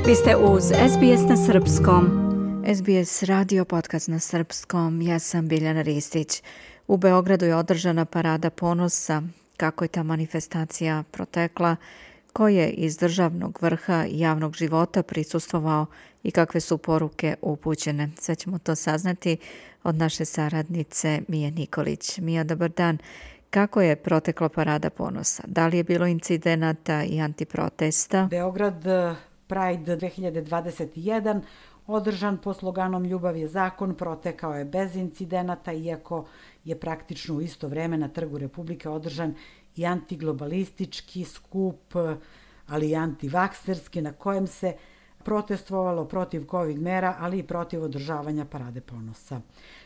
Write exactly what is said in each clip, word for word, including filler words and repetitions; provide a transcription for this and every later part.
Vi ste uz S B S na srpskom. S B S radio podcast na srpskom. Ja sam Biljana Ristić. U Beogradu je održana parada ponosa. Kako je ta manifestacija protekla, ko je iz državnog vrha i javnog života prisustvovao i kakve su poruke upućene. Sve ćemo to saznati od naše saradnice Mije Nikolić. Mija, dobar dan. Kako je protekla parada ponosa? Da li je bilo incidenata i antiprotesta? Beograd Pride dve hiljade dvadeset jedan, održan po sloganom Ljubav je zakon, protekao je bez incidenata, iako je praktično u isto vreme na Trgu Republike održan i antiglobalistički skup, ali i antivakserski, na kojem se protestovalo protiv COVID mera, ali i protiv održavanja parade ponosa.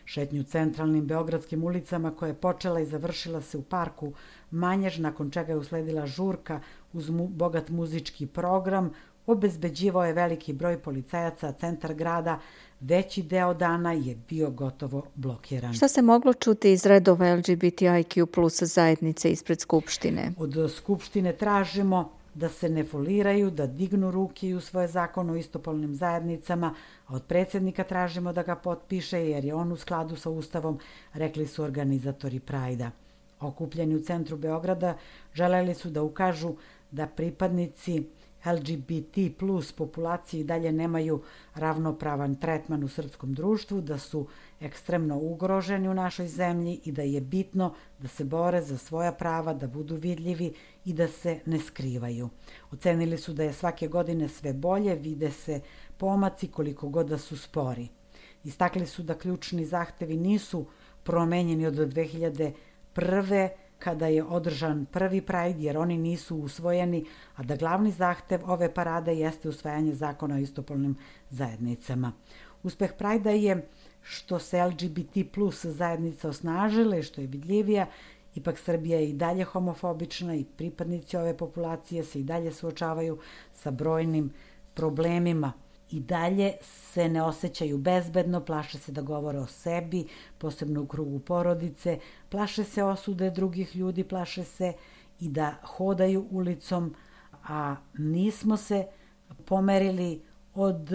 Šetnju centralnim beogradskim ulicama koja je počela i završila se u parku Manjež, nakon čega je usledila žurka uz mu, bogat muzički program, obezbeđivao je veliki broj policajaca, a centar grada veći deo dana je bio gotovo blokiran. Šta se moglo čuti iz redova L G B T I Q plus zajednice ispred Skupštine? Od Skupštine tražimo da se ne foliraju, da dignu ruke i u svoje zakon o istopolnim zajednicama, a od predsjednika tražimo da ga potpiše jer je on u skladu sa Ustavom, rekli su organizatori Prajda. Okupljeni u centru Beograda želeli su da ukažu da pripadnici L G B T plus populaciji dalje nemaju ravnopravan tretman u srpskom društvu, da su ekstremno ugroženi u našoj zemlji i da je bitno da se bore za svoja prava, da budu vidljivi i da se ne skrivaju. Ocenili su da je svake godine sve bolje, vide se pomaci koliko god da su spori. Istakli su da ključni zahtevi nisu promenjeni od dve hiljade prve kada je održan prvi Pride, jer oni nisu usvojeni, a da glavni zahtev ove parade jeste usvajanje zakona o istopolnim zajednicama. Uspeh Prajda je što se L G B T plus zajednica osnažila i što je vidljivija, ipak Srbija je i dalje homofobična i pripadnici ove populacije se i dalje suočavaju sa brojnim problemima. I dalje se ne osjećaju bezbedno, plaše se da govore o sebi, posebno u krugu porodice, plaše se osude drugih ljudi, plaše se i da hodaju ulicom, a nismo se pomerili od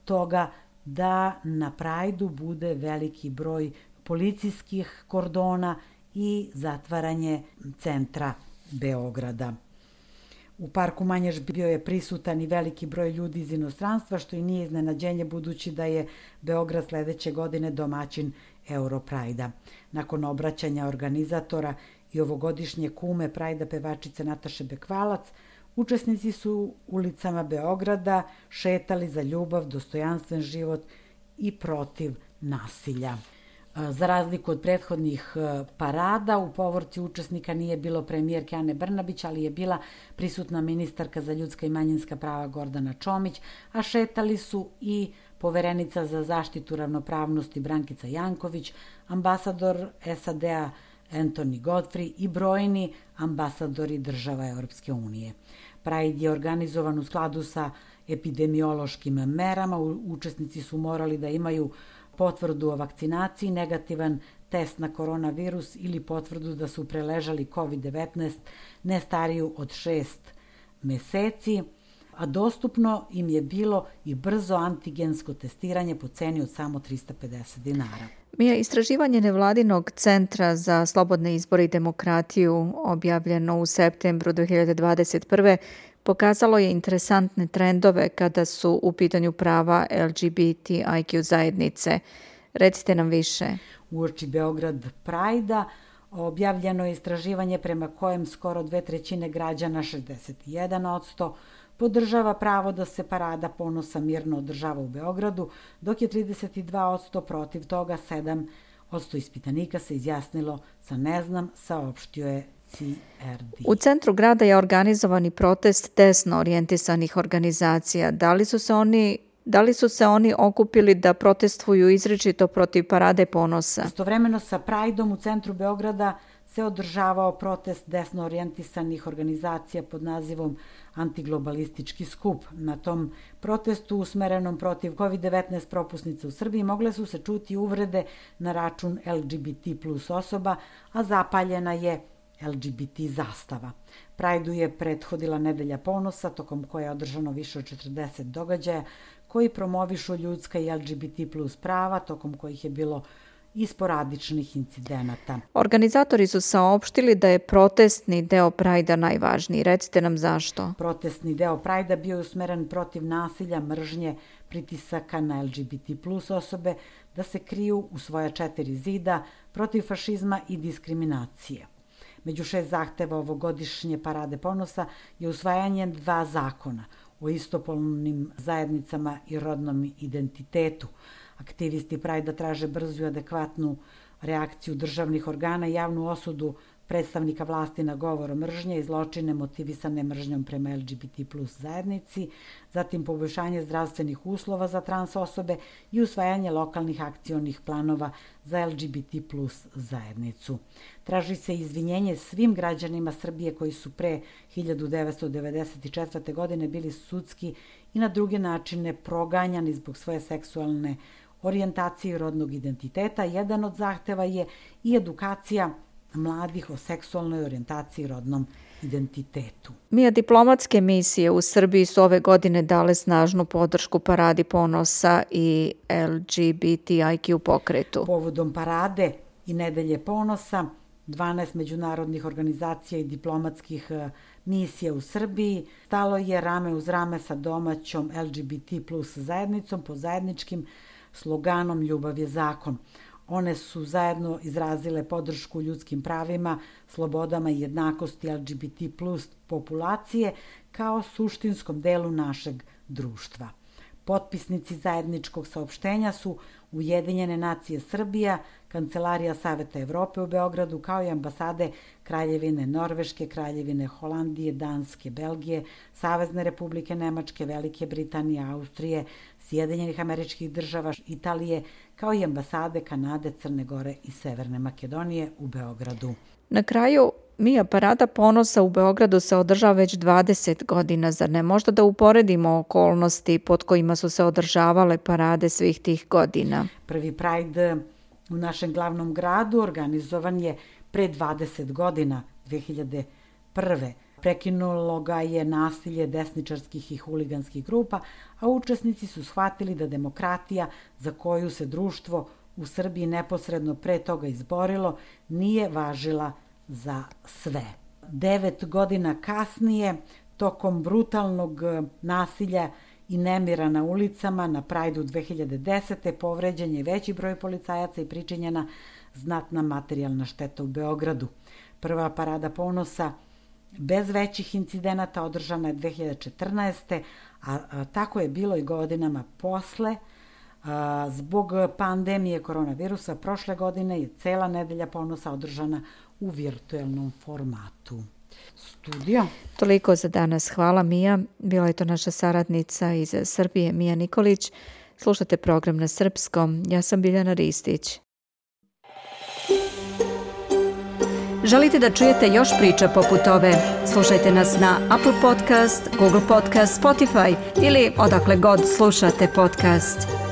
toga da na Prajdu bude veliki broj policijskih kordona i zatvaranje centra Beograda. U parku Manjež bio je prisutan i veliki broj ljudi iz inostranstva, što i nije iznenađenje budući da je Beograd sledeće godine domaćin Europrajda. Nakon obraćanja organizatora i ovogodišnje kume Prajda pevačice Nataše Bekvalac, učesnici su ulicama Beograda šetali za ljubav, dostojanstven život i protiv nasilja. Za razliku od prethodnih parada, u povorci učesnika nije bilo premijerke Ane Brnabić, ali je bila prisutna ministarka za ljudska i manjinska prava Gordana Čomić, a šetali su i poverenica za zaštitu ravnopravnosti Brankica Janković, ambasador S A D-a Anthony Godfrey i brojni ambasadori država Europske unije. Pride je organizovan u skladu sa epidemiološkim merama, učesnici su morali da imaju potvrdu o vakcinaciji, negativan test na koronavirus ili potvrdu da su preležali COVID devetnaest ne stariju od šest meseci, a dostupno im je bilo i brzo antigensko testiranje po ceni od samo trista pedeset dinara. Mija, istraživanje Nevladinog centra za slobodne izbore i demokratiju objavljeno u septembru dve hiljade dvadeset prve pokazalo je interesantne trendove kada su u pitanju prava L G B T I Q zajednice. Recite nam više. Uoči Beograd Prajda objavljeno je istraživanje prema kojem skoro dve trećine građana, šezdeset jedan posto, podržava pravo da se parada ponosa mirno održava u Beogradu, dok je trideset dva posto protiv toga, sedam posto ispitanika se izjasnilo sa ne znam, saopštio je C R D. U centru grada je organizovani protest desno orijentisanih organizacija. Da li su se oni Da li su se oni okupili da protestuju izričito protiv parade ponosa? Istovremeno sa Prajdom u centru Beograda se održavao protest desno orijentisanih organizacija pod nazivom Antiglobalistički skup. Na tom protestu usmerenom protiv COVID devetnaest propusnica u Srbiji mogle su se čuti uvrede na račun L G B T plus osoba, a zapaljena je el ge be te zastava. Prajdu je prethodila Nedelja ponosa, tokom koje je održano više od četrdeset događaja koji promovišu ljudska i el ge be te plus prava, tokom kojih je bilo i sporadičnih incidenata. Organizatori su saopštili da je protestni deo Prajda najvažniji. Recite nam zašto. Protestni deo Prajda bio je usmeren protiv nasilja, mržnje, pritisaka na el ge be te plus osobe da se kriju u svoja četiri zida, protiv fašizma i diskriminacije. Među šest zahteva ovogodišnje Parade ponosa je usvajanje dva zakona o istopolnim zajednicama i rodnom identitetu. Aktivisti Prajda traže brzu i adekvatnu reakciju državnih organa i javnu osudu predstavnika vlasti na govor mržnje i zločine motivisane mržnjom prema el ge be te plus zajednici, zatim poboljšanje zdravstvenih uslova za trans osobe i usvajanje lokalnih akcionih planova za el ge be te plus zajednicu. Traži se izvinjenje svim građanima Srbije koji su pre hiljadu devetsto devedeset četvrte. godine bili sudski i na druge načine proganjani zbog svoje seksualne orijentacije i rodnog identiteta. Jedan od zahteva je i edukacija mladih o seksualnoj orijentaciji i rodnom identitetu. Mija, diplomatske misije u Srbiji su ove godine dale snažnu podršku Paradi ponosa i el ge be te i kju pokretu. Povodom Parade i Nedelje ponosa, dvanaest međunarodnih organizacija i diplomatskih misija u Srbiji stalo je rame uz rame sa domaćom el ge be te plus zajednicom pod zajedničkim sloganom Ljubav je zakon. One su zajedno izrazile podršku ljudskim pravima, slobodama i jednakosti el ge be te plus populacije kao suštinskom delu našeg društva. Potpisnici zajedničkog saopštenja su Ujedinjene nacije Srbija, Kancelarija Saveta Evrope u Beogradu, kao i ambasade Kraljevine Norveške, Kraljevine Holandije, Danske, Belgije, Savezne Republike Nemačke, Velike Britanije, Austrije, Sjedinjenih Američkih Država, Italije, kao i ambasade Kanade, Crne Gore i Severne Makedonije u Beogradu. Na kraju, Mija, Parada ponosa u Beogradu se održava već dvadeset godina, zar ne? Možda da uporedimo okolnosti pod kojima su se održavale parade svih tih godina. Prvi Pride u našem glavnom gradu organizovan je pre dvadeset godina, dve hiljade prve. Prekinulo ga je nasilje desničarskih i huliganskih grupa, a učesnici su shvatili da demokratija za koju se društvo u Srbiji neposredno pre toga izborilo nije važila za sve. Devet godina kasnije, tokom brutalnog nasilja i nemira na ulicama, na Prajdu dve hiljade desete. povređen je veći broj policajaca i pričinjena znatna materijalna šteta u Beogradu. Prva Parada ponosa bez većih incidenata održana je dve hiljade četrnaeste. a, a tako je bilo i godinama posle. A, zbog pandemije koronavirusa prošle godine je cela Nedelja ponosa održana u virtuelnom formatu. Studio. Toliko za danas. Hvala, Mija. Bila je to naša saradnica iz Srbije, Mija Nikolić. Slušate program na srpskom. Ja sam Biljana Ristić. Želite da čujete još priča poput ove? Slušajte nas na Apple Podcast, Google Podcast, Spotify ili odakle god slušate podcast.